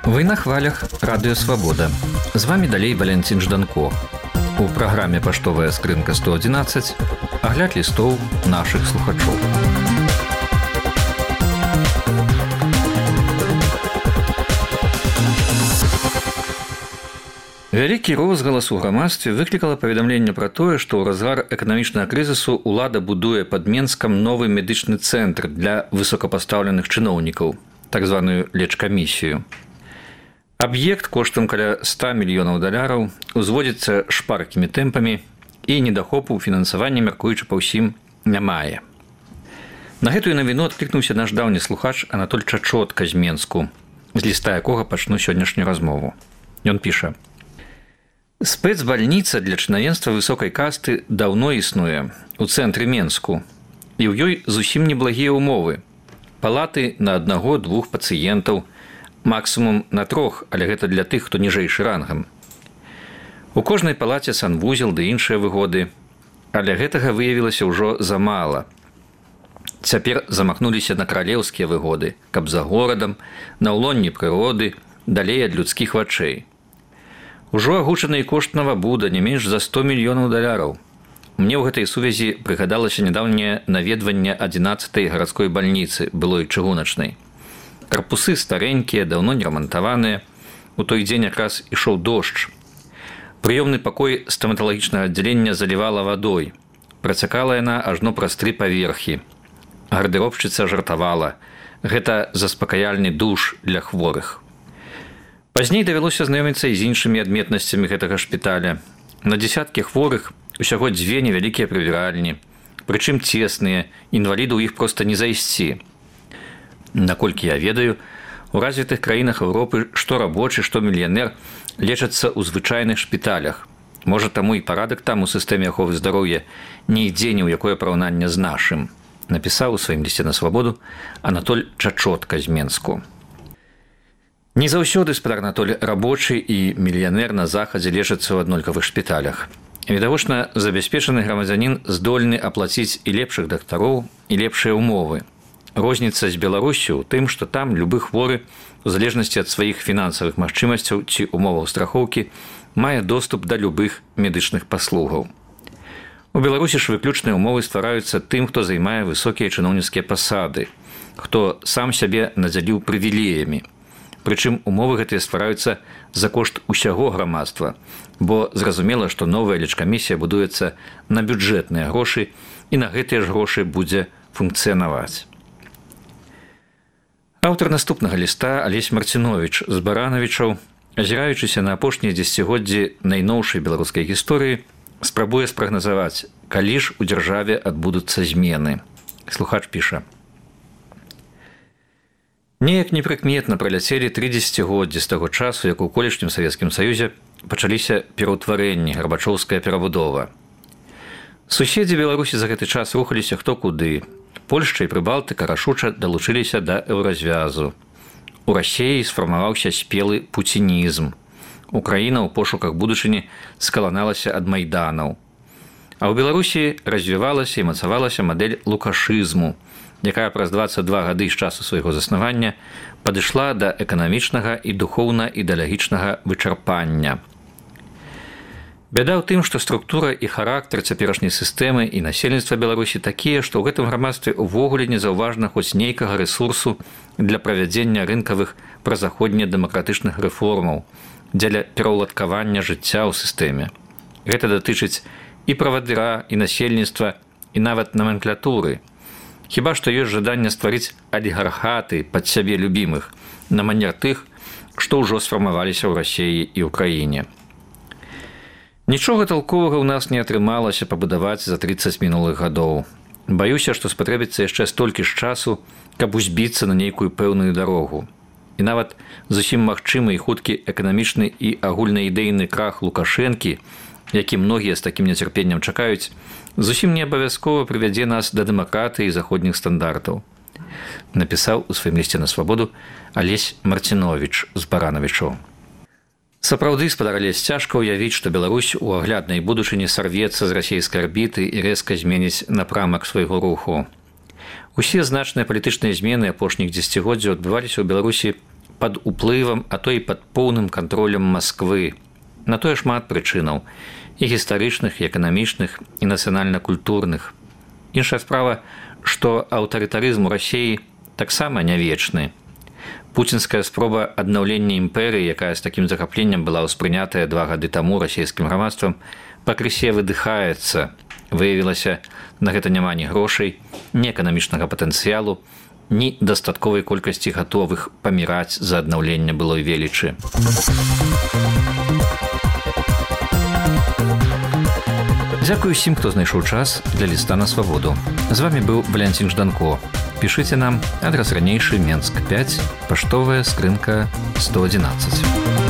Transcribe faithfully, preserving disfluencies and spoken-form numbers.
Вы на хвалях Радыё Свабода. З вами далей Валентин Жданко. У праграме «Паштовая скрынка сто одиннадцать» агляд лістоў нашых слухачоў. Вялікі розгалас у грамадстве выклікала паведамленне пра тое, што ў разгар эканамічнага крызісу ўлада будуе пад Менскам новы медычны цэнтр для высокапастаўленых чыноўнікаў, так званую лечкамісію. Аб'ект коштам каля ста мільёнаў даляраў узводзіцца шпаркімі тэмпамі і недахопу фінансавання, мяркуючы па ўсім, не мае. На гэтую навіну адклікнуўся наш даўні слухач Анатоль Чачотка з Менску, з ліста якога пачну сённяшнюю размову. Ён піша: «Спецбальніца для чынавенства высокай касты даўно існуе ў цэнтры Менску, і ў ёй зусім неблагія ўмовы. Палаты на аднаго-двух пацыентаў, максімум на трох, але гэта для тых, хто ніжэйшы рангам. У кожнай палаце санвузел ды іншыя выгоды, але гэтага выявілася ўжо замала. Цяпер замахнуліся на каралеўскія выгоды, каб за горадам, на ўлонні прыроды, далей ад людскіх вачэй. Ужо агучаны кошт навабуда не менш за сто мільёнаў даляраў. Мне ў гэтай сувязі прыгадалася нядаўняе наведванне адзінаццатай гарадской бальніцы, былой чыгуначнай. Карпусы старенькія, даўно не рамантаваныя. У той дзень якраз ішоў дождж. Прыёмны пакой стаматалагічнага аддзялення залівала вадой. Працякала яна ажно праз тры паверхі. Гардэробшчыца жартавала: гэта заспакаяльны душ для хворых. Пазней давялося знаёміцца і з іншымі адметнасцямі гэтага шпіталя. На дзесяткі хворых усяго дзве невялікія прыбіральні, прычым цесныя, інваліду ў іх проста не зайсці. Наколькі я ведаю, у развітых краінах Еўропы што рабочы, што мільянер лечацца ў звычайных шпіталях. Можа, таму і парадак там у сістэме аховы здароўя не ідзе ні ў якое параўнанне з нашым, напісаў у сваім лісце на свабоду Анатоль Чачотка з Менску. Не заўсёды, спадар Анатоль, рабочы і мільянер на захадзе лечацца ў аднолькавых шпіталях. Відавочна, забяспечаны грамадзянін здольны аплаціць і лепшых дактароў, і лепшыя ўмовы. Розніца з Беларусю ў тым, што там любы хворы, у залежнасці ад сваіх фінансавых магчымасцяў ці умоваў страхоўкі, мае доступ да любых медычных паслугаў. У Беларусі ж выключныя ўмовы ствараюцца тым, хто займае высокія чыноўніцкія пасады, хто сам сябе надзяліў прывілеямі. Прычым умовы гэтыя ствараюцца за кошт усяго грамадства, бо зразумела, што новая лечкамісія будуецца на бюджэтныя грошы, і на гэтыя ж грошы будзе функцыянаваць. Аўтар наступнага ліста Алесь Марціновіч з Баранавічаў, азіраючыся на апошнія дзесяцігоддзі найноўшай беларускай гісторыі, спрабуе спрагназаваць, калі ж у дзяржаве адбудуцца змены. Слухач піша: «Неяк непрыкметна праляцелі тры дзесяцігоддзі з таго часу, як у колішнім Савецкім Саюзе пачаліся пераўтварэнні, гарбачоўская перабудова. Суседзі Беларусі за гэты час рухаліся хто куды. Польшча і Прыбалтыка рашуча далучыліся да еўразвязу. У Расіі сфармаваўся спелы пуцінізм. Украіна ў пошуках будучыні скаланалася ад майданаў. А ў Беларусі развівалася і мацавалася мадэль лукашызму, якая праз дваццаць два гады з часу свайго заснавання падышла да эканамічнага і духоўна-ідэалагічнага вычарпання. Бяда ў тым, што структура і характар цяперашняй сістэмы і насельніцтва Беларусі такія, што ў гэтым грамадстве ўвогуле незаўважна хоць нейкага рэсурсу для правядзення рынкавых празаходне-дэмакратычных рэформаў, дзеля пераўладкавання жыцця ў сістэме. Гэта датычыць і правадыра, і насельніцтва, і нават наменклатуры. Хіба што ёсць жаданне стварыць алігархаты пад сябе любімых, на манер тых, што ўжо сфармаваліся ў Расіі і ўкраіне. Нічога талковага ў нас не атрымалася пабудаваць за трыццаць мінулых гадоў. Баюся, што спатрэбіцца яшчэ столькі ж часу, каб узбіцца на нейкую пэўную дарогу. І нават зусім магчымы і хуткі эканамічны і агульнаідэйны крах Лукашэнкі, які многія з такім нецярпеннем чакаюць, зусім не абавязкова прывядзе нас да дэмакратыі і заходніх стандартаў. Напісаў у сваім лісце на свабоду Алесь Марціновіч з Баранавічаў. Сапраўды, спадар Алесь, цяжка ўявіць, што Беларусь у агляднай будучыні сарвецца з расійскай арбіты і рэзка зменіць напрамак свайго руху. Усе значныя палітычныя змены апошніх дзесяцігоддзяў адбываліся ў Беларусі пад уплывам, а то і пад поўным кантролем Масквы. На тое шмат прычынаў і гістарычных, і эканамічных, і нацыянальна-культурных. Іншая справа, што аўтарытарызм у Расіі таксама не вечны. Пуцінская спроба аднаўлення імперыі, якая з такім захапленнем была ўспрынятая два гады таму расійскім грамадствам, пакрысе выдыхаецца. Выявілася, на гэта няма ні грошай, ні эканамічнага патэнцыялу, ні дастатковай колькасці гатовых паміраць за аднаўленне былой велічы. Дзякую усім, хто знайшоў час для ліста на свабоду. З вамі быў Валянцін Жданко. Пішыце нам, адрас ранейшы, Менск пяць, паштовая скрынка сто адзінаццаць.